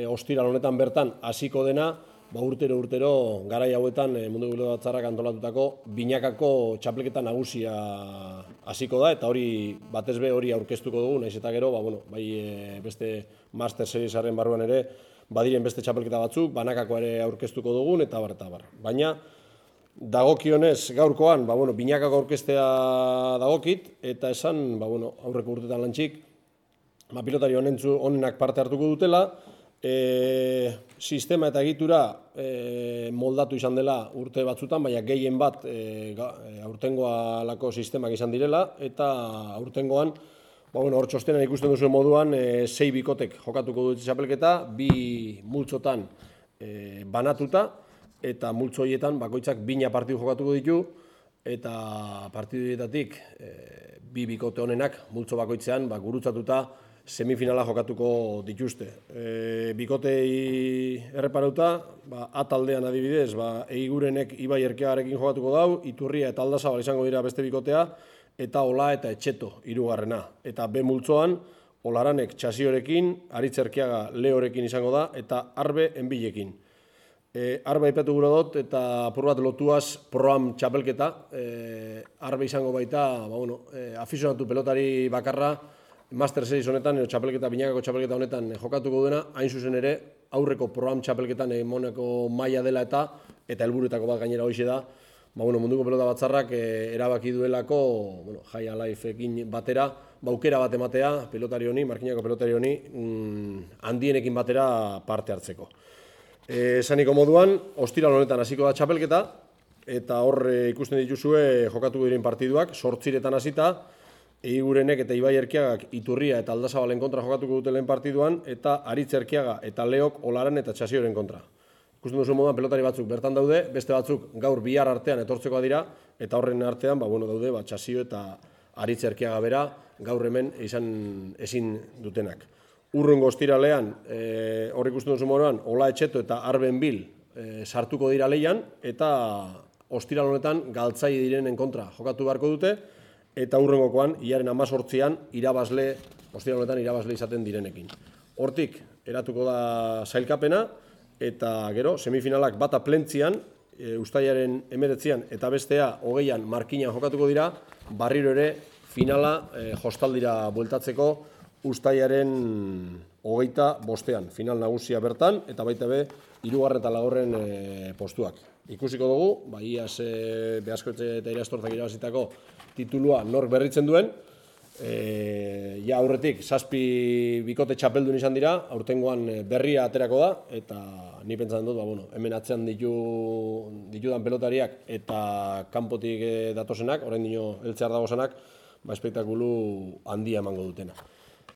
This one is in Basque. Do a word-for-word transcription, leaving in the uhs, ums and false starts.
ostiral honetan bertan hasiko dena, ba urtero urtero garai hauetan Munduko Pilota Batzarrak antolatutako binakako txapelketa nagusia hasiko da, eta hori batez be hori aurkeztuko dugu, naiz eta gero, ba, bueno, bai beste Master Seriesaren barruan ere, badiren beste txapelketa batzuk, banakako ere aurkeztuko dugun, eta bar, eta bar. Baina, dagokionez gaurkoan, ba, bueno, binakako aurkeztea dagokit, eta esan, ba, bueno, aurreko urtetan lantxik, ba, pilotari honenak parte hartuko dutela, e, sistema eta egitura e, moldatu izan dela urte batzutan, baina gehien bat e, aurtengoa lako sistemak izan direla, eta aurtengoan, ba, bueno, hor txostenan ikusten duzuen moduan, e, sei bikotek jokatuko dut txapelketa, bi multzotan e, banatuta, eta multzo horietan bakoitzak bina partidu jokatuko ditu, eta partidu horietatik e, bi bikote honenak multzo bakoitzean ba, gurutzatuta semifinala jokatuko dituzte. E, bikotei erreparauta, ba, A taldean adibidez, ba, Eigurenek Ibai Erkeagarekin jokatuko dau, Iturria eta Aldazabal izango dira beste bikotea, eta Ola eta Etxeto hirugarrena. Eta B multzoan, Olaranek Txasiorekin, Aritz Erkeaga Leorekin izango da, eta Arbe Enbilekin. E, Arbe aipatu gura dut, eta apur bat lotuaz proam txapelketa. E, Arbe izango baita, ba, bueno, e, afizionatu pelotari bakarra, Master Series honetan, edo txapelketa, binakako txapelketa honetan jokatuko duena, hain zuzen ere, aurreko proam txapelketan emoneko maila dela eta, eta helburuetako bat gainera hoxe da, ba, bueno, Munduko Pilota Batzarrak e, erabaki duelako, bueno, High Alifeekin batera, ba, aukera bat ematea, pelotari honi, markinako pelotari honi, mm, handienekin batera parte hartzeko. E, esaniko moduan, ostiral honetan hasiko da txapelketa, eta hor e, ikusten dituzue jokatuko diren partiduak, sortziretan hasita, Eigurenek eta Ibai Erkeagak Iturria eta Aldazabalen kontra jokatuko dute lehen partiduan, eta Aritz Erkeaga eta Leok Olaran eta Txasioren kontra. Ikusten duzu moduan pelotari batzuk bertan daude, beste batzuk gaur bihar artean etortzeko dira, eta horren artean ba, bueno, daude ba, Txasio eta Aritz Erkeaga bera gaur hemen izan ezin dutenak. Urrungo ostiralean, e, hor ikusten duzu moduan, Ola Etxeto eta Arben Bil e, sartuko dira leian, eta ostiral honetan galtzai direnen kontra jokatu beharko dute, eta hurrengokoan, hilaren hamazortzian, irabazle, ostiral honetan irabazle izaten direnekin. Hortik, eratuko da sailkapena, eta gero, semifinalak bata plentzian, e, ustailaren hemeretzian eta bestea hogeian markinan jokatuko dira, barriro ere finala e, jostaldira bueltatzeko ustailaren hogeita bostean. Final nagusia bertan, eta baita be, hirugarren eta laugarren e, postuak. Ikusiko dugu, ba, iaz e, Beaskoetxe eta Irastortzak irabazitako titulua nork berritzen duen. E, ja aurretik, zazpi bikote txapeldun izan dira, aurtengoan berria aterako da, eta ni pentsatzen dut, ba, bueno, hemen atzean ditu, ditudan pelotariak eta kanpotik datozenak, orain dino heltzear dagozenak, ba, espektakulu handia emango dutena.